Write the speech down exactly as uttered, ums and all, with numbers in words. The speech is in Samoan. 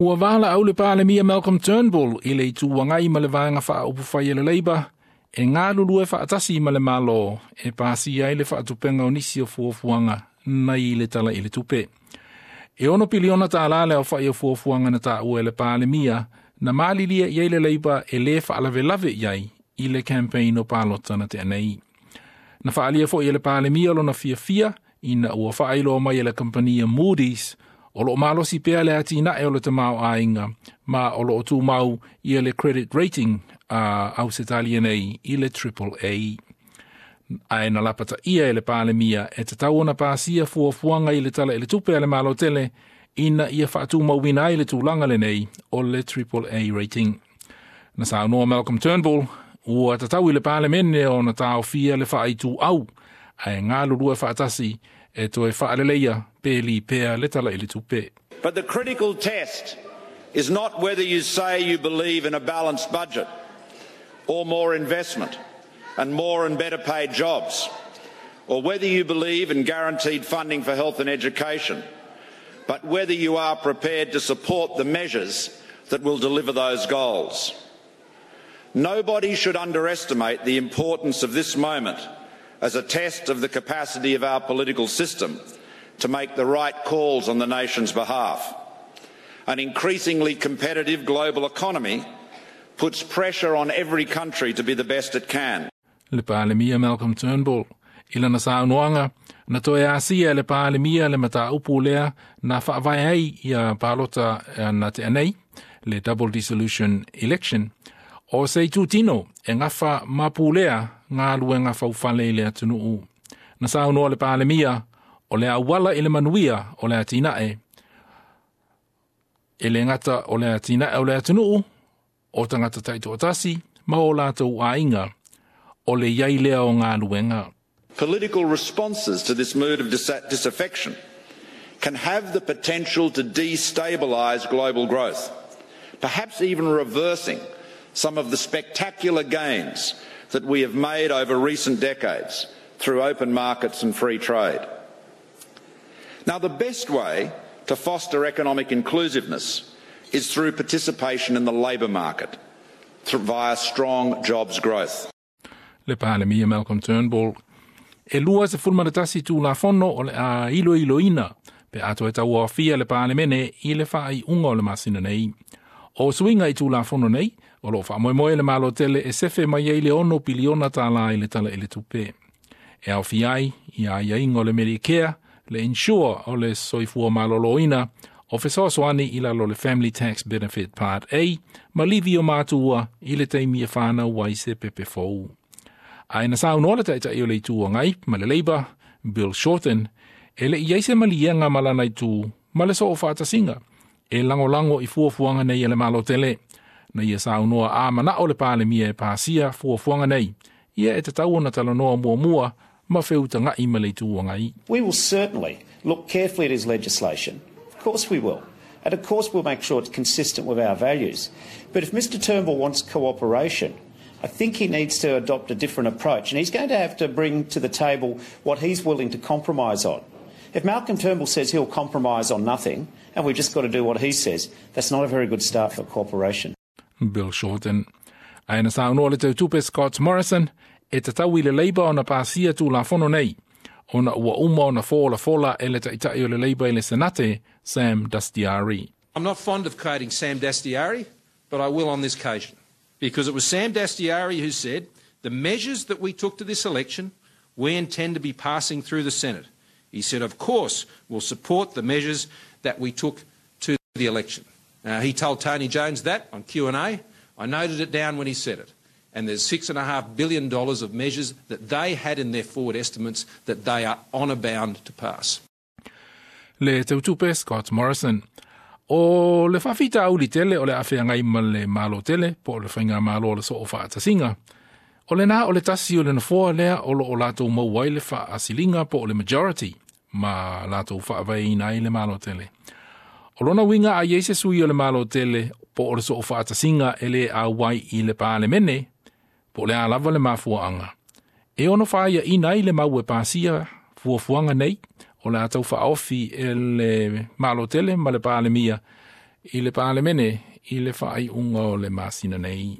Ua valaau le Palemia Malcolm Turnbull i le Itu Agai ma le Vaega Faaupufai a le Labour e galulue faatasi ma le Malo e pasia ai le faatupenga o nisi o fuafuaga nei le Tala i le Tupe. E ono piliona tālā le aofa'i o fuafuaga na taua e le Palemia na malilia i ai le Labour e lē faalavelave i ai i le campaign o palota na tea nei. Na faaalia fo'i e le Palemia lona fiafia ina ua faailoa mai e le kamupani Moody's o loo malosi pea le atinae o le tamaoaiga ma o loo tumau ia le credit rating a Ausetalia nei i le Triple A. Ae na lapataia e le Palemia e tatau ona pasia fuafuaga i le Tala i le Tupe a le Malo tele ina ia faatumauina ai le tulaga lenei o le Triple A rating. Na saunoa Malcolm Turnbull ua tatau i le Palemene ona taofia le faaituau ae galulue faatasi e toe faaleleia pe lipea le Tala i le Tupe. But the critical test is not whether you say you believe in a balanced budget or more investment and more and better paid jobs, or whether you believe in guaranteed funding for health and education, but whether you are prepared to support the measures that will deliver those goals. Nobody should underestimate the importance of this moment as a test of the capacity of our political system to make the right calls on the nation's behalf. An increasingly competitive global economy puts pressure on every country to be the best it can. Le Palemia Malcolm Turnbull. I lana saunoaga, na toe asia e le Palemia le mataupu lea na faavae ai ia palota na tea nei, le double dissolution election, o se itutino e gafa ma pulea galuega faufale i le atunuu. Na saunoa le Palemia o le auala i le manuia o le atinae. E le gata o le atinae o le atunuu, o tagata taitoatasi ma o latou aiga, o le i ai lea o galuega. Political responses to this mood of dis- disaffection can have the potential to destabilise global growth, perhaps even reversing some of the spectacular gains that we have made over recent decades through open markets and free trade. Now, the best way to foster economic inclusiveness is through participation in the labour market through, via strong jobs growth. Le Palemia Malcolm Turnbull. E lua sefulu ma le tasi tulafono o le a iloiloina pe a toe tauaofia le Palemene i le faaiuga o le masina nei. O suiga i tulafono nei, o loo faamoemoe le Malo tele e sefe mai ai le ono piliona tālā i le Tala i le Tupe. E aofia ai ia aiaiga o le Medicare, le Insure o le soifua maloloina, o fesoasoani i lalo le Family Tax Benefit Part A, ma livi o matua i le taimi e fanau ai se pepe fou. Ae na saunoa le Taitai o le Itu Agai ma le Labour, Bill Shorten, e le'i ai se maliega ma lana itu ma le soofaatasiga e lagolago i fuafuaga nei e le Malo tele. Na ia saunoa a manao le Palemia e pasia fuafuaga nei, ia e tatau ona talanoa muamua ma feutaga'i ma le Itu Agai. We will certainly look carefully at his legislation. Of course we will. And of course we'll make sure it's consistent with our values. But if Mister Turnbull wants cooperation, I think he needs to adopt a different approach. And he's going to have to bring to the table what he's willing to compromise on. If Malcolm Turnbull says he'll compromise on nothing, and we've just got to do what he says, that's not a very good start for cooperation. Bill Shorten. Ae na saunoa le Teutupe Scott Morrison e tatau i le Labour ona pasia tulafono nei, ona ua uma ona folafola e le Taitai o le Labour i le Senate, Sam Dastyari. I'm not fond of quoting Sam Dastyari, but I will on this occasion, because it was Sam Dastyari who said, the measures that we took to this election, we intend to be passing through the Senate. He said, of course, we'll support the measures that we took to the election. Uh, he told Tony Jones that on Q and A. I noted it down when he said it. And there's six and a half billion dollars of measures that they had in their forward estimates that they are honour bound to pass. Le Teutupe Scott Morrison. O le faafitauli tele o le a feagai ma le Malo tele, po o le faigamalo o le soofaatasiga. O lena o le tasi o le nofoa lea o loo latou maua ai le faasiliga po o le majority ma latou faavaeina ai le Malo tele. O lona uiga a iai se sui o le Malo tele po o le soofaatasiga e lē auai i le Palemene, po o le a lava le mafuaaga. E ono faaiaina ai le mau e pasia fuafuaga nei, o le a tau faaofi e le Malo tele ma le Palemia I le Palemene i le faaiuga o le masina nei.